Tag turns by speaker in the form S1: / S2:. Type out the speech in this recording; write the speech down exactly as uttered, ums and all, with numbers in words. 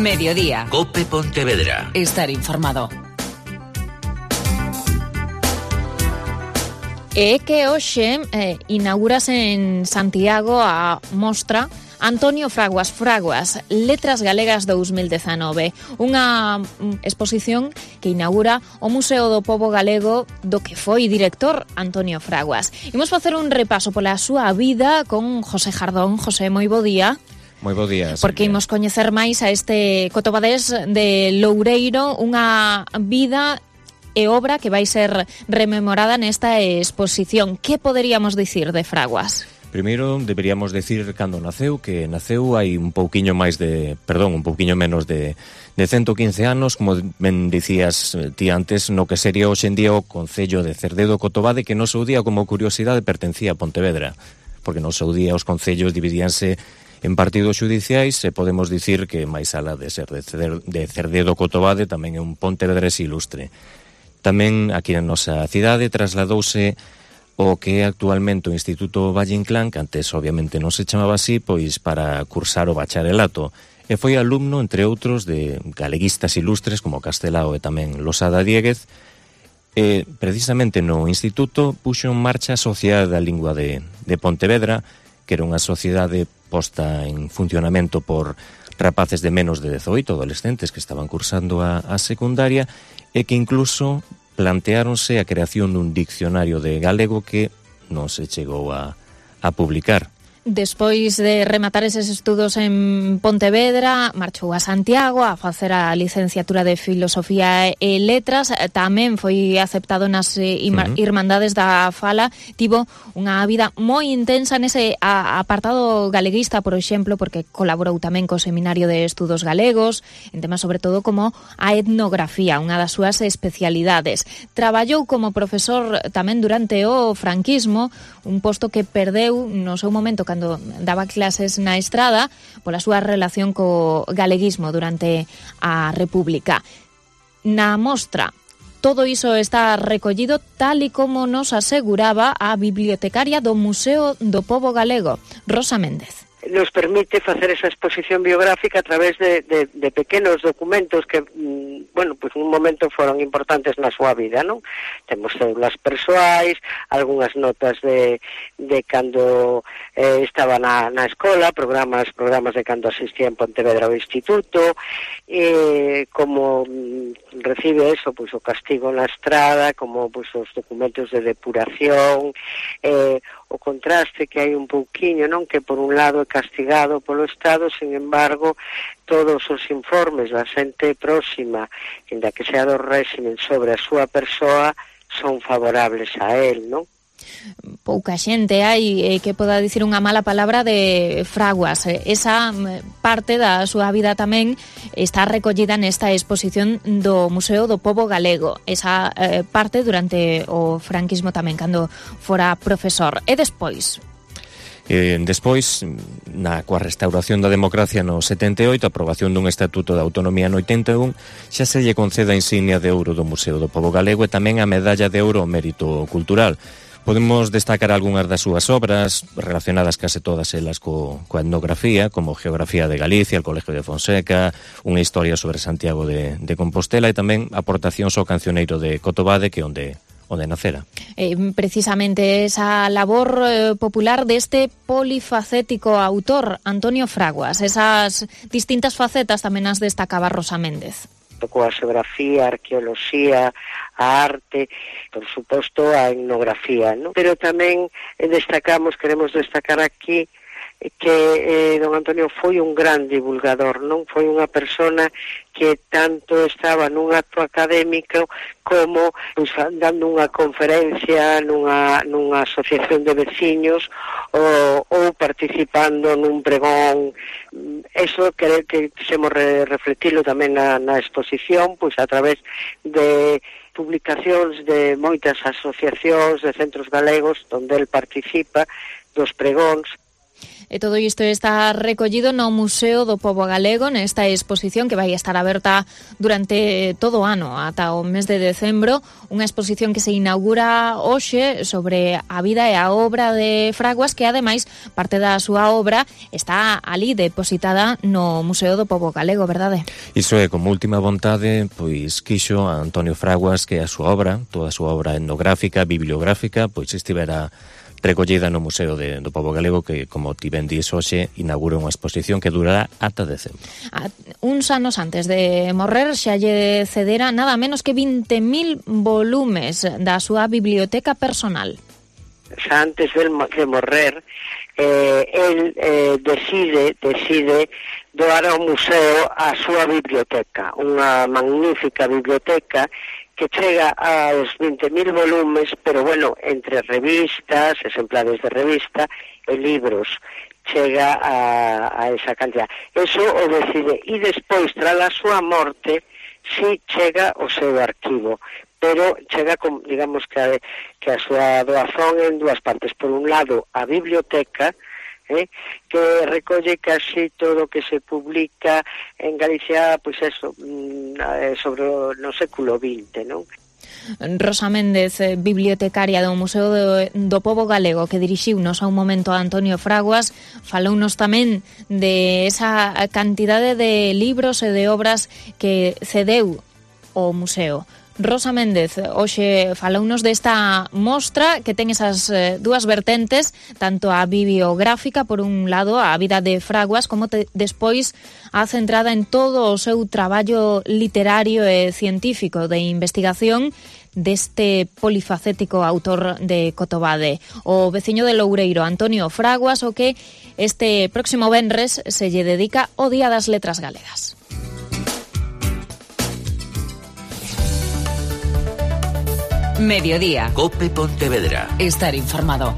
S1: Mediodía.
S2: COPE Pontevedra.
S1: Estar informado. E que hoxe eh, inaugurase en Santiago a mostra Antonio Fraguas Fraguas, Letras Galegas dous mil dezanove, unha exposición que inaugura o Museo do Pobo Galego do que foi director Antonio Fraguas. Imos facer un repaso pola súa vida con José Jardón. José, moi bo día.
S3: Moi bo día.
S1: Porque imos coñecer máis a este cotobadés de Loureiro, unha vida e obra que vai ser rememorada nesta exposición. Que poderíamos dicir de Fraguas?
S3: Primeiro, deberíamos decir cando naceu, que naceu hai un pouquiño máis de, perdón, un pouquiño menos de, de ciento quince anos, como ben dicías ti antes, no que sería hoxe en día o Concello de Cerdedo Cotobade, que no seu día, como curiosidade, pertencía a Pontevedra, porque no seu día os concellos dividíanse en partidos xudiciais, e podemos dicir que máis alá de ser de Cerdedo Cotobade, tamén é un pontevedrés ilustre. Tamén aquí na nosa cidade trasladouse o que é actualmente o Instituto Valle Inclán, que antes obviamente non se chamaba así, pois para cursar o bacharelato. E foi alumno, entre outros, de galeguistas ilustres como Castelao e tamén Losada Diéguez. E precisamente no instituto puxo en marcha a Sociedade da Lingua de, de Pontevedra, que era unha sociedade posta en funcionamento por rapaces de menos de dezoito, adolescentes que estaban cursando a, a secundaria, e que incluso planteáronse a creación dun diccionario de galego que non se chegou a, a publicar.
S1: Despois de rematar eses estudos en Pontevedra, marchou a Santiago a facer a licenciatura de Filosofía e Letras. Tamén foi aceptado nas uh-huh. Irmandades da Fala. Tivo unha vida moi intensa nese apartado galeguista, por exemplo, porque colaborou tamén co Seminario de Estudos Galegos, en temas sobre todo como a etnografía, unha das súas especialidades. Traballou como profesor tamén durante o franquismo, un posto que perdeu no seu momento cando daba clases na Estrada pola súa relación co galeguismo durante a República. Na mostra, todo iso está recollido tal e como nos aseguraba a bibliotecaria do Museo do Pobo Galego, Rosa Méndez.
S4: Nos permite facer esa exposición biográfica a través de, de, de pequenos documentos que, bueno, pues un momento foron importantes na súa vida, non? Temos cédulas persoais, algunhas notas de, de cando eh, estaba na, na escola, programas programas de cando asistía en Pontevedra ao instituto, eh, como recibe eso, pues o castigo na estrada, como pues os documentos de depuración, eh, o contraste que hai un pouquiño, non? Que por un lado é castigado polo Estado, sin embargo, todos os informes da xente próxima, inda que sea do réximen sobre a súa persoa, son favorables a él, non?
S1: Pouca xente hai eh, que poda dicir unha mala palabra de Fraguas. Esa parte da súa vida tamén está recollida nesta exposición do Museo do Pobo Galego. Esa eh, parte durante o franquismo tamén, cando fora profesor. E despois...
S3: Eh, despois, na coa restauración da democracia no setenta e oito, a aprobación dun Estatuto de Autonomía no oitenta e un, xa se lle concede a insignia de ouro do Museo do Pobo Galego e tamén a medalla de ouro ao mérito cultural. Podemos destacar algunhas das súas obras relacionadas case todas elas co, coa etnografía, como Geografía de Galicia, el Colegio de Fonseca, unha historia sobre Santiago de, de Compostela e tamén aportacións ao cancioneiro de Cotobade, que onde onde nacera.
S1: Eh, precisamente esa labor eh, popular deste polifacético autor, Antonio Fraguas, esas distintas facetas tamén as destacaba Rosa Méndez.
S4: Tocou a xeografía, a arqueoloxía, a arte, por suposto a etnografía, ¿no? Pero tamén eh, destacamos, queremos destacar aquí que eh, don Antonio foi un gran divulgador, non? Foi unha persona que tanto estaba nun acto académico como pues, dando unha conferencia nunha, nunha asociación de veciños ou, ou participando nun pregón. Eso que, que quisemos re, reflectilo tamén na, na exposición, pois a través de publicacións de moitas asociacións de centros galegos onde el participa dos pregóns.
S1: E todo isto está recollido no Museo do Pobo Galego nesta exposición que vai estar aberta durante todo o ano, ata o mes de decembro, unha exposición que se inaugura hoxe sobre a vida e a obra de Fraguas, que ademais parte da súa obra está ali depositada no Museo do Pobo Galego, verdade?
S3: Iso é, como última vontade, pois quixo a Antonio Fraguas que a súa obra, toda a súa obra etnográfica, bibliográfica, pois estivera recollida no Museo de, do Pobo Galego, que, como ti ben dis hoxe, inaugura unha exposición que durará ata decembro.
S1: A, uns anos antes de morrer xa lle cedera nada menos que vinte mil volumes da súa biblioteca personal.
S4: Xa antes de, de morrer, eh, el eh, decide, decide doar ao museo a súa biblioteca, unha magnífica biblioteca que chega aos vinte mil volumes, pero bueno, entre revistas, exemplares de revista e libros, chega a, a esa cantidad. Eso o decide, e despois, tras a súa morte, si chega o seu arquivo, pero chega, con, digamos, que a, que a súa doazón en dúas partes. Por un lado, a biblioteca, Eh, que recolle casi todo o que se publica en Galicia, pois pues eso, sobre o no século vinte, non?
S1: Rosa Méndez, bibliotecaria do Museo do, do Pobo Galego, que dirixiunos a un momento a Antonio Fraguas, falounos tamén de esa cantidade de libros e de obras que cedeu o museo. Rosa Méndez, hoxe falounos desta mostra que ten esas eh, dúas vertentes, tanto a bibliográfica, por un lado, a vida de Fraguas, como te, despois a centrada en todo o seu traballo literario e científico de investigación deste polifacético autor de Cotobade, o veciño de Loureiro, Antonio Fraguas, o que este próximo venres se lle dedica o Día das Letras Galegas.
S2: Mediodía.
S5: COPE Pontevedra.
S2: Estar informado.